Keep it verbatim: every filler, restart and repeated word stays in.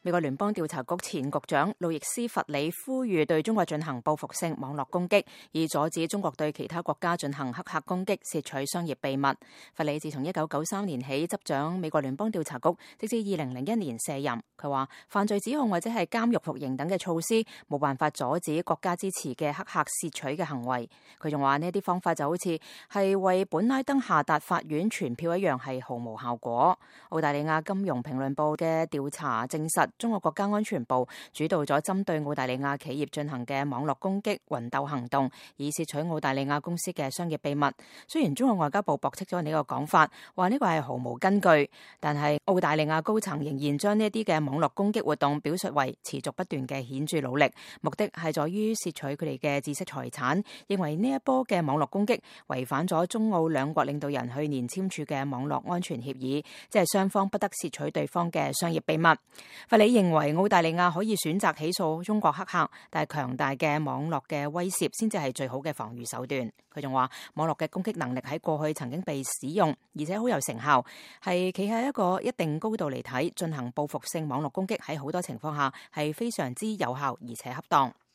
美國聯邦調查局前局長路易斯·弗里呼籲對中國進行報復性網絡攻擊，以阻止中國對其他國家進行黑客攻擊，竊取商業秘密。弗里自從一九九三年起執掌美國聯邦調查局，直至二零零一年卸任。佢話犯罪指控或者係監獄服刑等嘅措施冇辦法阻止國家支持嘅黑客竊取嘅行為。佢仲話呢啲方法就好似係為本拉登下達法院傳票一樣，係毫無效果。澳大利亞金融評論部嘅調查證實，中國國家安全部主導咗針對澳大利亞企業進行嘅網絡攻擊魂鬥行動，以竊取澳大利亞公司嘅商業秘密。雖然中國外交部駁斥咗呢個講法，話呢個係毫無根據，但係澳大利亞高層仍然將呢啲嘅網絡攻擊活動表述為持續不斷嘅顯著努力，目的係在於竊取佢哋嘅知識財產，認為呢一波嘅網絡攻擊違反咗中澳兩國領導人去年簽署嘅網絡安全協議，即係雙方不得竊取對方嘅商業秘密。弗里認為澳大利亞可以選擇起訴中國黑客，但係強大嘅網絡嘅威懾先至係最好嘅防禦手段。佢仲話網絡嘅攻擊能力喺過去曾經被使用，而且好有成效，係企喺一個一定高度嚟睇，進行報復性網絡攻擊喺好多情況下係非常之有效而且恰當。